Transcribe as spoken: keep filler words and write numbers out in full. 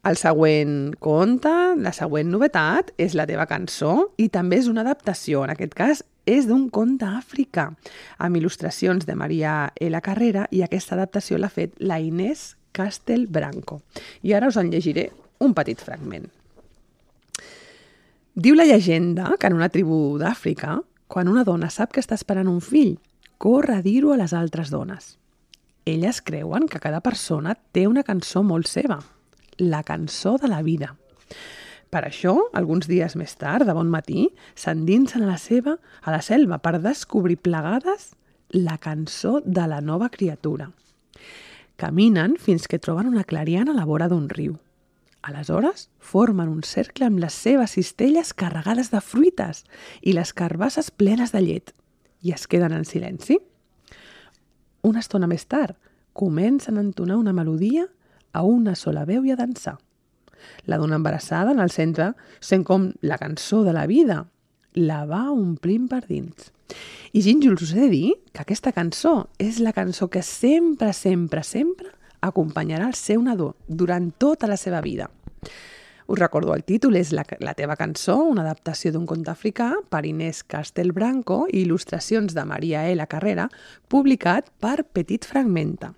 El següent conte, la següent novetat, és la teva cançó i també és una adaptació. En aquest cas, és d'un conte africà, amb il·lustracions de Maria L. Carrera, i aquesta adaptació l'ha fet la Inés Castelbranco. I ara us en llegiré un petit fragment. Diu la llegenda que en una tribu d'Àfrica, quan una dona sap que està esperant un fill, corre a dir-ho a les altres dones. Elles creuen que cada persona té una cançó molt seva, la cançó de la vida. Per això, alguns dies més tard, de bon matí, s'endinsen a la seva, a la selva per descobrir plegades la cançó de la nova criatura. Caminen fins que troben una clariana a la vora d'un riu. Aleshores, formen un cercle amb les seves cistelles carregades de fruites i les carbasses plenes de llet i es queden en silenci. Una estona més tard, comencen a entonar una melodia a una sola veu i a dansar. La dona embarassada en el centre sent com la cançó de la vida la va omplint per dins. I Gínjols, us he de dir que aquesta cançó és la cançó que sempre, sempre, sempre acompanyarà el seu nadó durant tota la seva vida. Us recordo, el títol és La, la teva cançó, una adaptació d'un conte africà per Inés Castelbranco i il·lustracions de Maria L. Carrera, publicat per Petit Fragmenta.